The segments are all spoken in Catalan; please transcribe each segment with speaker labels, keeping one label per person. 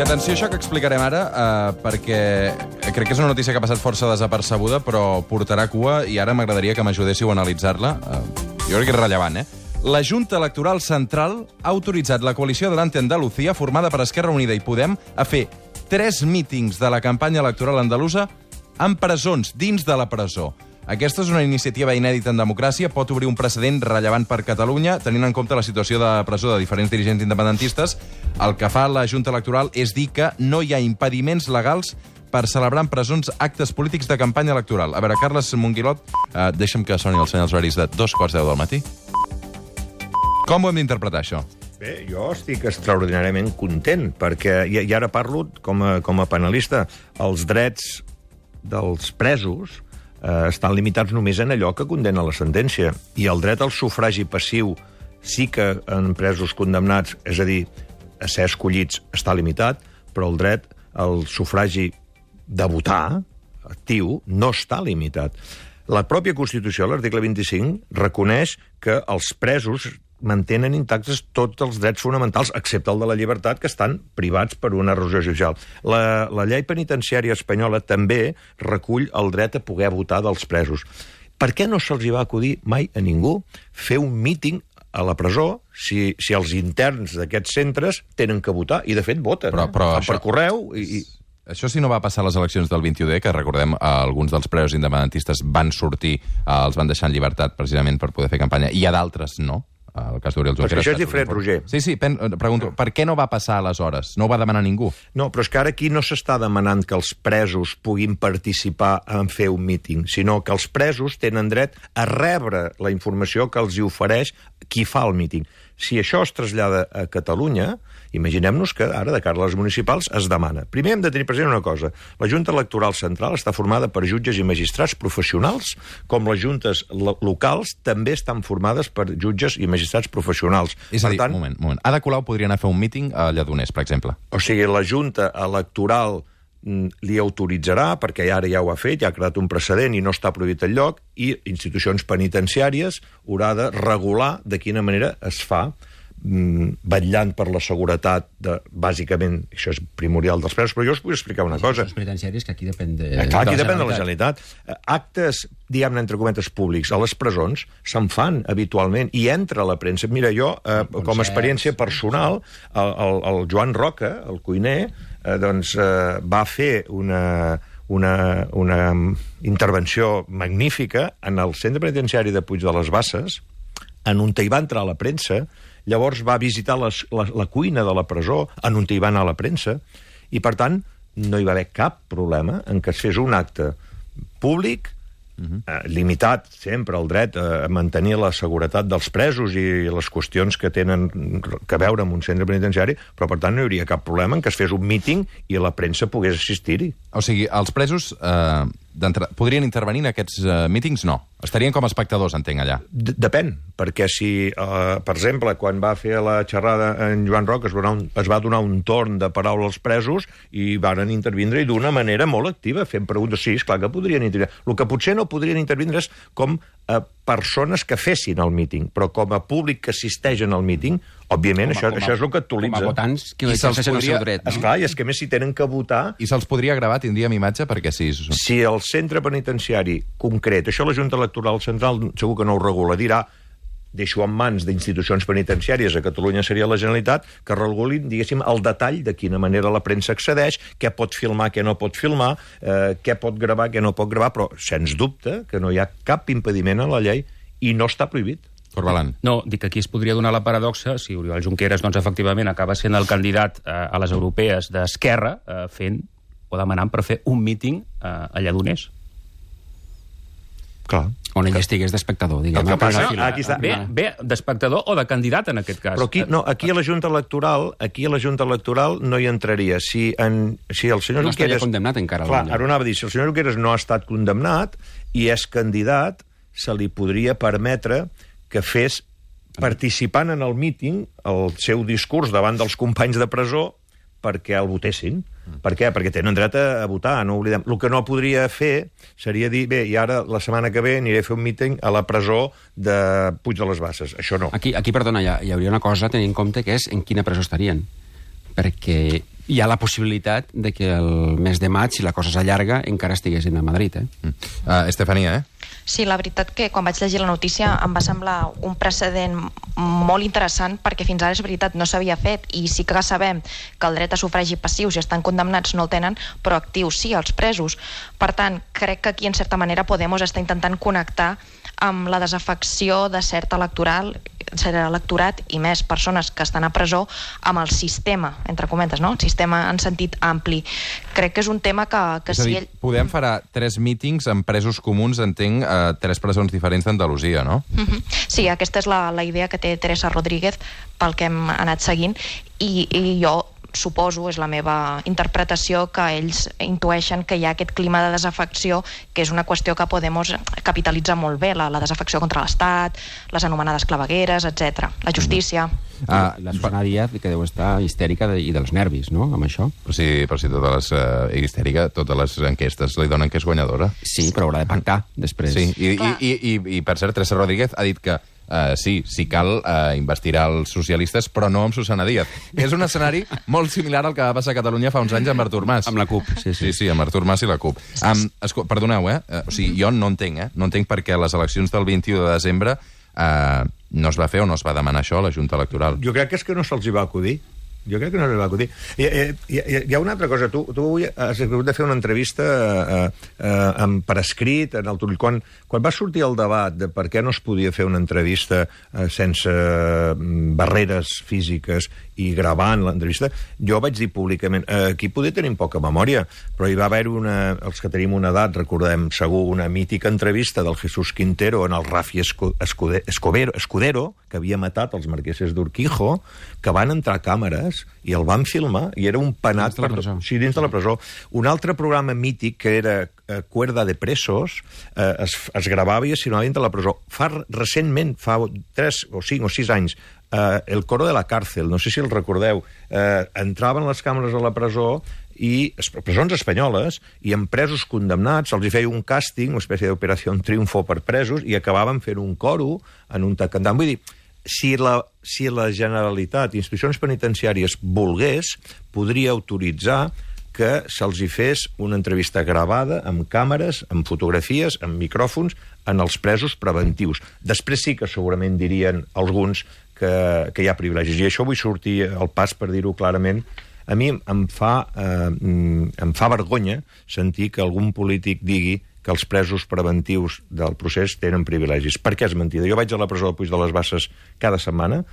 Speaker 1: atenció a això que explicarem ara, perquè crec que és una notícia que ha passat força desapercebuda, però portarà cua i ara m'agradaria que m'ajudéssiu a analitzar-la. Jo crec que és rellevant, La Junta Electoral Central ha autoritzat la coalició Adelante Andalucía, formada per Esquerra Unida i Podem, a fer 3 mítings de la campanya electoral andalusa en presons, dins de la presó. Aquesta és una iniciativa inèdita en democràcia, pot obrir un precedent rellevant per Catalunya, tenint en compte la situació de presó de diferents dirigents independentistes. El que fa la Junta Electoral és dir que no hi ha impediments legals per celebrar en presons actes polítics de campanya electoral. A veure, Carles Monguilot, deixa'm que soni els senyals horaris de 2:10 del matí. Com ho hem d'interpretar, això?
Speaker 2: Bé, jo estic extraordinàriament content, perquè, i ara parlo com a penalista, els drets dels presos estan limitats només en allò que condena la sentència. I el dret al sufragi passiu sí que en presos condemnats, és a dir, a ser escollits, està limitat, però el dret al sufragi de votar, actiu, no està limitat. La pròpia Constitució, l'article 25, reconeix que els presos mantenen intactes tots els drets fonamentals, excepte el de la llibertat, que estan privats per una resolució judicial. La llei penitenciària espanyola també recull el dret a poder votar dels presos. Per què no se'ls va acudir mai a ningú fer un míting a la presó si els interns d'aquests centres tenen que votar? I, de fet, voten.
Speaker 1: Però
Speaker 2: per correu i...
Speaker 1: Això sí no va passar a les eleccions del 21D, que recordem, alguns dels presos independentistes van sortir, els van deixar en llibertat precisament per poder fer campanya, i a d'altres no. El cas d'Oriol Junqueras.
Speaker 2: Però això és diferent, Roger.
Speaker 1: Sí, pregunto, per què no va passar aleshores? No ho va demanar ningú?
Speaker 2: No, però és que ara aquí no s'està demanant que els presos puguin participar en fer un míting, sinó que els presos tenen dret a rebre la informació que els hi ofereix qui fa el míting. Si això es trasllada a Catalunya, imaginem-nos que ara, de cara a les municipals, es demana. Primer hem de tenir present una cosa. La Junta Electoral Central està formada per jutges i magistrats professionals, com les juntes locals també estan formades per jutges i magistrats professionals.
Speaker 1: És a dir, un moment. Ada Colau podria anar a fer un míting a Lledoners, per exemple.
Speaker 2: O sigui, la Junta Electoral li autoritzarà, perquè ara ja ho ha fet, ja ha creat un precedent i no està prohibit el lloc, i institucions penitenciàries haurà de regular de quina manera es fa, vetllant per la seguretat, bàsicament, això és primordial dels presos, però jo us vull explicar una cosa.
Speaker 3: Els penitenciaris, que aquí depèn de...
Speaker 2: Clar, aquí depèn de la Generalitat. Actes, diguem-ne, entre cometes, públics a les presons se'n fan habitualment i entra a la premsa. Mira, jo, com a experiència personal, el Joan Roca, el cuiner, va fer una intervenció magnífica en el centre penitenciari de Puig de les Basses, en on hi va entrar a la premsa. Llavors va visitar la cuina de la presó, en on hi va anar a la premsa, i, per tant, no hi va haver cap problema en que es fes un acte públic, limitat sempre el dret a mantenir la seguretat dels presos i les qüestions que tenen que veure amb un centre penitenciari, però, per tant, no hi hauria cap problema en que es fes un míting i la premsa pogués assistir-hi.
Speaker 1: O sigui, els presos podrien intervenir en aquests mítings? No. Estarien com a espectadors, entenc, allà.
Speaker 2: Depèn, perquè si, per exemple, quan va fer la xerrada en Joan Roca es va donar un torn de paraula als presos i varen intervindre i d'una manera molt activa, fent preguntes. Sí, esclar que podrien intervindre. El que potser no podrien intervindre és com a persones que fessin el míting, però com a públic que assisteix en el míting, òbviament, això és el que actualitza.
Speaker 3: Com a votants que exerceixen el seu dret.
Speaker 2: Esclar, i és que més si tenen que votar...
Speaker 1: I se'ls podria gravar, tindríem imatge, perquè sí.
Speaker 2: Si el centre penitenciari concret, això la Junta Electoral Central segur que no ho regula, dirà, deixo en mans d'institucions penitenciàries, a Catalunya seria la Generalitat, que regulin, diguéssim, el detall de quina manera la premsa accedeix, què pot filmar, què no pot filmar, què pot gravar, què no pot gravar, però sens dubte que no hi ha cap impediment en la llei i no està prohibit.
Speaker 1: Corbalan.
Speaker 3: No, dic que aquí es podria donar la paradoxa si Oriol Junqueras, doncs, efectivament, acaba sent el candidat a les europees d'Esquerra, fent o demanant per fer un míting a Lledoners.
Speaker 2: Clar.
Speaker 3: On ell estigués d'espectador, diguem.
Speaker 2: Aquí està.
Speaker 3: Bé, d'espectador o de candidat, en aquest cas.
Speaker 2: Però aquí a la Junta Electoral no hi entraria. Si el senyor Junqueras...
Speaker 3: No estaria condemnat encara.
Speaker 2: Clar, ara anava a dir, si el senyor Junqueras no ha estat condemnat i és candidat, se li podria permetre que fes, participant en el míting, el seu discurs davant dels companys de presó perquè el votessin. Per què? Perquè tenen dret a votar, no oblidem. El que no podria fer seria dir, bé, i ara la setmana que ve aniré a fer un míting a la presó de Puig de les Basses. Això no.
Speaker 3: Aquí perdona, hi hauria una cosa a tenir en compte, que és en quina presó estarien. Perquè
Speaker 4: hi ha la possibilitat de que el mes de maig, si la cosa s'allarga, encara estiguessin a Madrid.
Speaker 1: Estefania,
Speaker 5: Sí, la veritat que quan vaig llegir la notícia em va semblar un precedent molt interessant, perquè fins ara és veritat, no s'havia fet, i sí que sabem que el dret a sufragi passius, si estan condemnats, no el tenen, però actius sí, els presos. Per tant, crec que aquí en certa manera Podemos està intentant connectar amb la desafecció de cert electorat i més persones que estan a presó amb el sistema, entre cometes, no? El sistema en sentit ampli. Crec que és un tema que
Speaker 1: és a dir, Podem farà 3 mítings amb presos comuns, entenc, 3 presons diferents d'Andalusia, no?
Speaker 5: Sí, aquesta és la idea que té Teresa Rodríguez pel que hem anat seguint, i jo suposo, és la meva interpretació, que ells intueixen que hi ha aquest clima de desafecció, que és una qüestió que Podemos capitalitza molt bé, la desafecció contra l'Estat, les anomenades clavegueres, etc. La justícia.
Speaker 4: La Susana Díaz, que deu estar histèrica i dels nervis, no?, amb això.
Speaker 1: Però si histèrica, totes les enquestes li donen que és guanyadora.
Speaker 4: Sí, però haurà de pactar després.
Speaker 1: Sí, i per cert, Teresa Rodríguez ha dit que sí, si cal, investirà els socialistes, però no amb Susana Díaz. És un escenari molt similar al que va passar a Catalunya fa uns anys amb Artur Mas.
Speaker 4: Amb la CUP, sí.
Speaker 1: Sí, amb Artur Mas i la CUP. Perdoneu, o sigui, jo no entenc, no entenc perquè les eleccions del 21 de desembre no es va fer o no es va demanar això a la Junta Electoral.
Speaker 2: Jo crec que és que no se'ls hi va acudir. Hi ha una altra cosa. Tu avui has hagut de fer una entrevista per escrit en el Turull. Quan va sortir el debat de per què no es podia fer una entrevista sense barreres físiques i gravant l'entrevista, jo vaig dir públicament, aquí poder tenim poca memòria, però hi va haver els que tenim una edat, recordem segur, una mítica entrevista del Jesús Quintero en el Rafi Escudero, que havia matat els marqueses d'Urquijo, que van entrar càmeres i el van filmar, i era un penat dins de la presó. Un altre programa mític, que era Cuerda de Presos, es gravava i es filmava dins de la presó. Recentment, fa 3 o 5 o 6 anys, El Coro de la Cárcel, no sé si el recordeu, entraven les càmeres a la presó, i presons espanyoles, i amb presos condemnats se'ls feia un càsting, una espècie d'operació triunfo per presos, i acabaven fent un coro en un cantant. Vull dir, si la Generalitat, institucions penitenciàries, volgués, podria autoritzar que se'ls hi fes una entrevista gravada, amb càmeres, amb fotografies, amb micròfons, en els presos preventius. Després sí que segurament dirien alguns que hi ha privilegis. I això vull sortir al pas per dir-ho clarament. A mi em fa vergonya sentir que algun polític digui que els presos preventius del procés tenen privilegis. Per què és mentida? Jo vaig a la presó del Puig de les Basses cada setmana,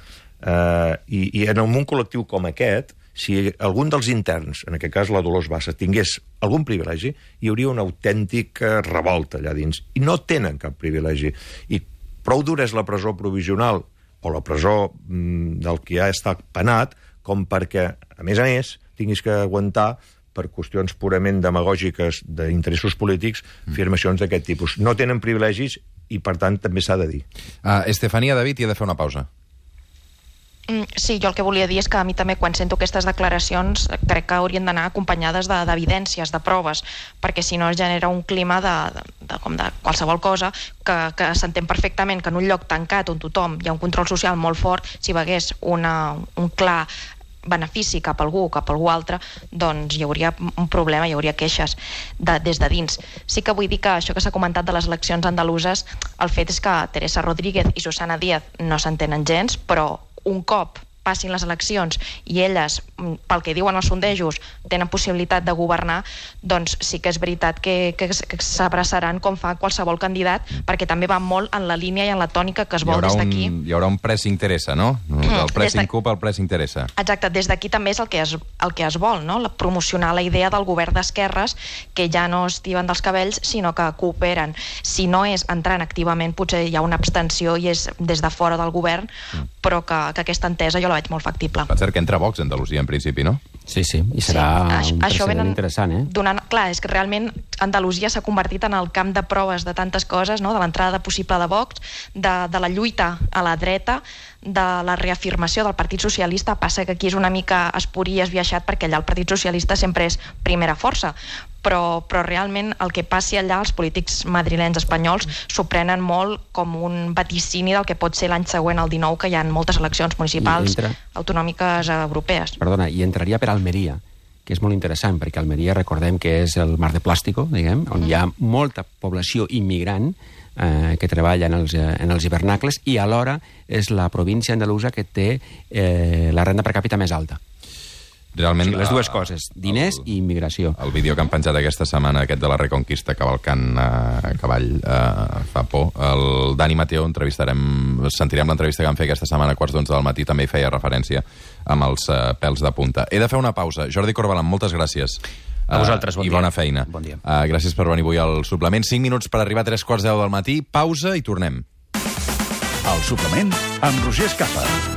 Speaker 2: i en un col·lectiu com aquest, si algun dels interns, en aquest cas la Dolors Bassa, tingués algun privilegi, hi hauria una autèntica revolta allà dins. I no tenen cap privilegi. I prou dura és la presó provisional o la presó del que ja està penat, com perquè, a més, tinguis que aguantar per qüestions purament demagògiques d'interessos polítics, afirmacions d'aquest tipus. No tenen privilegis i, per tant, també s'ha de dir.
Speaker 1: Estefania, David, hi ha de fer una pausa.
Speaker 5: Sí, jo el que volia dir és que a mi també, quan sento aquestes declaracions, crec que haurien d'anar acompanyades d'evidències, de proves, perquè si no es genera un clima de qualsevol cosa, que s'entén perfectament que en un lloc tancat on tothom hi ha un control social molt fort, si hi hagués un clar benefici cap a algú o cap a algú altre, doncs hi hauria un problema, hi hauria queixes des de dins. Sí que vull dir que això que s'ha comentat de les eleccions andaluses, el fet és que Teresa Rodríguez i Susana Díaz no s'entenen gens, però un cop passin les eleccions i elles, pel que diuen els sondejos, tenen possibilitat de governar, doncs sí que és veritat que s'abraçaran com fa qualsevol candidat, perquè també va molt en la línia i en la tònica que es vol des d'aquí.
Speaker 1: Hi haurà un press interessa, no? Del pressing CUP al press interessa.
Speaker 5: Exacte, des d'aquí també és el que es vol, no? Promocionar la idea del govern d'esquerres, que ja no es tiben dels cabells, sinó que cooperen. Si no és entrant activament, potser hi ha una abstenció i és des de fora del govern, però que aquesta entesa jo la veig molt factible.
Speaker 1: Per cert, que entra Vox a Andalusia, en principi, no?
Speaker 4: Sí, i serà un precedent interessant,
Speaker 5: Clar, és que realment Andalusia s'ha convertit en el camp de proves de tantes coses, no? De l'entrada possible de Vox, de la lluita a la dreta, de la reafirmació del Partit Socialista. Passa que aquí és una mica espurí i esbiaixat, perquè allà el Partit Socialista sempre és primera força, però realment el que passi allà, els polítics madrilenys espanyols s'ho prenen molt com un vaticini del que pot ser l'any següent, el 19, que hi ha moltes eleccions municipals, autonòmiques, europees.
Speaker 4: Perdona, i entraria per Almeria, que és molt interessant, perquè Almeria, recordem que és el mar de plàstico, diguem, on hi ha molta població immigrant que treballa en els hivernacles, i alhora és la província andalusa que té la renda per càpita més alta.
Speaker 1: Realment,
Speaker 4: les dues coses, diners i immigració.
Speaker 1: El vídeo que han penjat aquesta setmana, aquest de la Reconquista, cavalcant a cavall, fa por. El Dani Mateo, sentirem l'entrevista que vam fer aquesta setmana a 11:15 del matí, també hi feia referència amb els pèls de punta. He de fer una pausa. Jordi Corbalan, moltes gràcies.
Speaker 3: A vosaltres, bon dia.
Speaker 1: I bona feina.
Speaker 3: Bon dia.
Speaker 1: Gràcies per venir avui al suplement. 5 minuts per arribar a 3:15 del matí. Pausa i tornem.
Speaker 6: El suplement amb Roger Escapa.